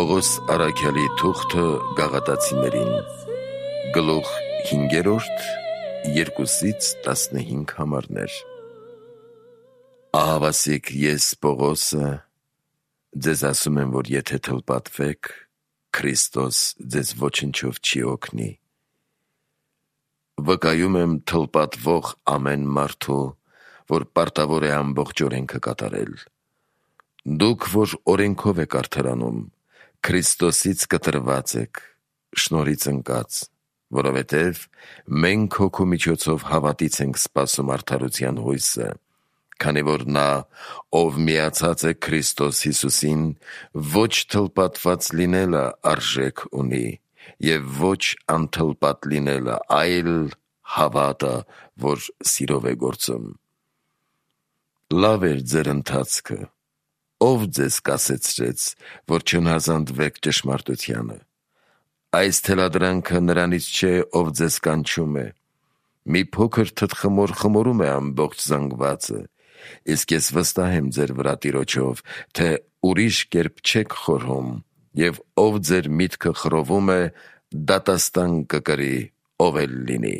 Պողոս առաքյալի թուղթը գաղատացիներին, գլուխ 5, 2-15 համարներ։ Ահավասիկ ես Պողոսը ձեզ ասում եմ, որ եթե թլպատվեք, Քրիստոս ձեզ ոչնչով չի օգնի։ Վկայում եմ թլպատվող ամեն մարդու, որ պարտավոր է ամբողջ օրենքը կատարել։ Դուք, որ օրենքով եք արդարանում, Քրիստոսից կտրված եք, շնորհից ընկած, որովհետև մենք հոգու միջոցով հավատից ենք սպասում արդարության հույսը, քանի որ նա, ով միացած է Քրիստոս Հիսուսին, ոչ թլպատված լինելը արժեք ունի, և ոչ անթլպատ լինելը, այլ հավատը, որ սիրով է գործում։ Լավ էր ձեր ընթացքը, ով ձեզ կասեցրեց, որ չհնազանդվեք ճշմարտությանը։ Այս թելադրանքը նրանից չէ, ով ձեզ կանչում է։ Մի փոքր թտխմոր խմորում է ամբողջ զանգվածը, իսկ ես վստահ եմ ձեր վրա Տիրոջով, թե ուրիշ կերպ չեք խորհում, և ով ձեր միտքը խռովում է, դատաստան կկրի, ով էլ լինի։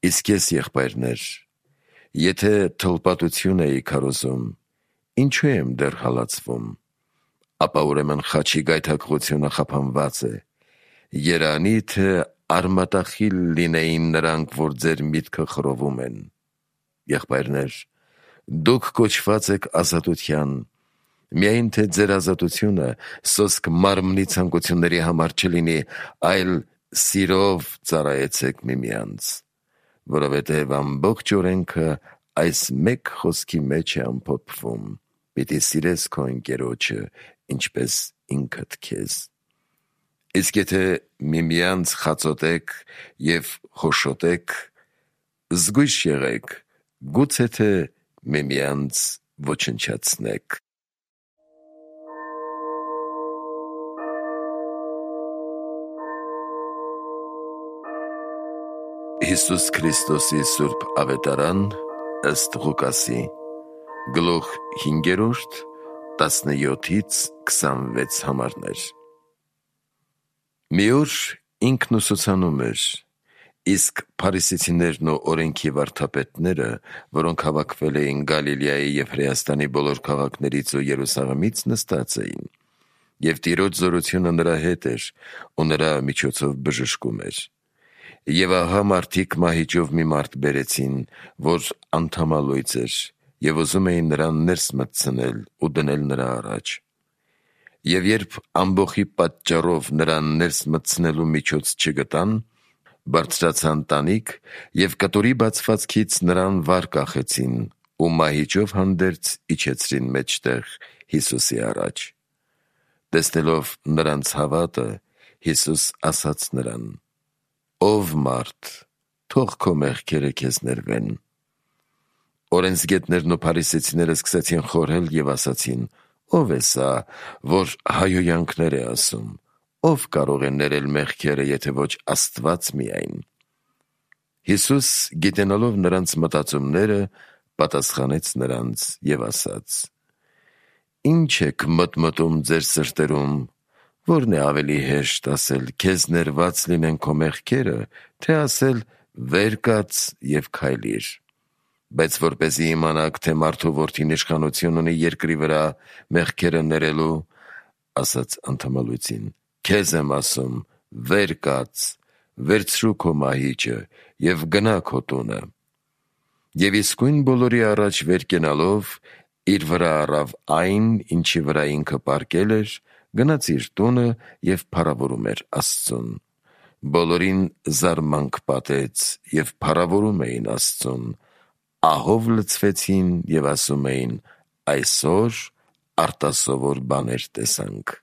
Իսկ ես, եղբայրներ, եթե թլպատություն էի քարոզում, ինչու եմ դեռ հալածվում, ապա ուրեմն խաչի գայթակղությունը խափանված է։ Երանի թե արմատախիլ լինեին նրանք, որ ձեր միտքը խռովում են։ Եղբայրներ, դուք կոչված եք ազատության, միայն թե ձեր ազատությունը սոսկ մարմնի ցանկությունների համար չլինի, այլ սիրով ծառայեցեք միմյանց, որովհետև ամբողջ օրենքը այս մեկ խոսքի մեջ է ամփոփվում. պիտի սիրես քո ընկերոջը, ինչպես ինքդ քեզ։ Իսկ եթե միմյանց խածոտեք և հոշոտեք, զգույշ եղեք, գուցե թե միմյանց ոչնչացնեք։ Հիսուս Քրիստոսի սուրբ ավետարան ըստ Ղուկասի, գլուխ 5, 17-26 համարներ։ Մի օր ինքն ուսուցանում էր, իսկ փարիսեցիներն ու օրենքի վարդապետները, որոնք հավաքվել էին Գալիլեայի և Հրեաստանի բոլոր քաղաքներից ու Երուսաղեմից, նստած էին, և Տիրոջ զորությունը նրա հետ էր, ու նրա միջոցով բժշկում էր։ Եվ ահա մարդիկ մահիճով մի մարդ բերեցին, որ անդամալույծ էր, և ուզում էին նրան ներս մտցնել ու դնել նրա առաջ։ Եվ երբ ամբոխի պատճառով նրան ներս մտցնելու միջոց չգտան, բարձրացան տանիք և կտորի բացվածքից նրան վար կախեցին ու մահիճով հանդերձ իջեցրին մեջտեղ Հիսուսի առաջ։ Տեսնելով նրանց հավատը, Հիսուս ասաց նրան. «Ով մարդ, թող քո մեղքերը քեզ ներվեն»։ Օրենսգետներն ու փարիսեցիները սկսեցին խորհել և ասացին. «Ո՞վ է սա, որ հայհոյանքներ է ասում, ո՞վ կարող է ներել մեղքերը, եթե ոչ Աստված միայն»։ Հիսուս, գիտենալով նրանց մտածումները, պատասխանեց նրանց և ասաց. «Ի՞նչ եք մտմտում ձեր սրտերում, որն է ավելի հեշտ ասել, քեզ ներված լինեն քո մեղքերը, թե ասել, վեր կաց և քայլիր։ Բայց որպեսզի իմանաք, թե մարդու որդին իշխանություն ունի երկրի վրա մեղքերը ներելու, ասաց անդամալույծին, քեզ եմ ասում, վեր կաց, վերցրու քո մահիճը և գնա քո տունը։ Եվ իսկույն բոլորի առաջ վեր կենալով, իր վրա առավ այն, ինչի վրա ինքը պառկել էր, գնաց իր տունը և փառավորում էր Աստծուն։ Բոլորին զարմանք պատեց և փառավորում էին Աստծուն, ահով լցվեցին և ասում էին. «Այսօր արտասովոր բաներ տեսանք»։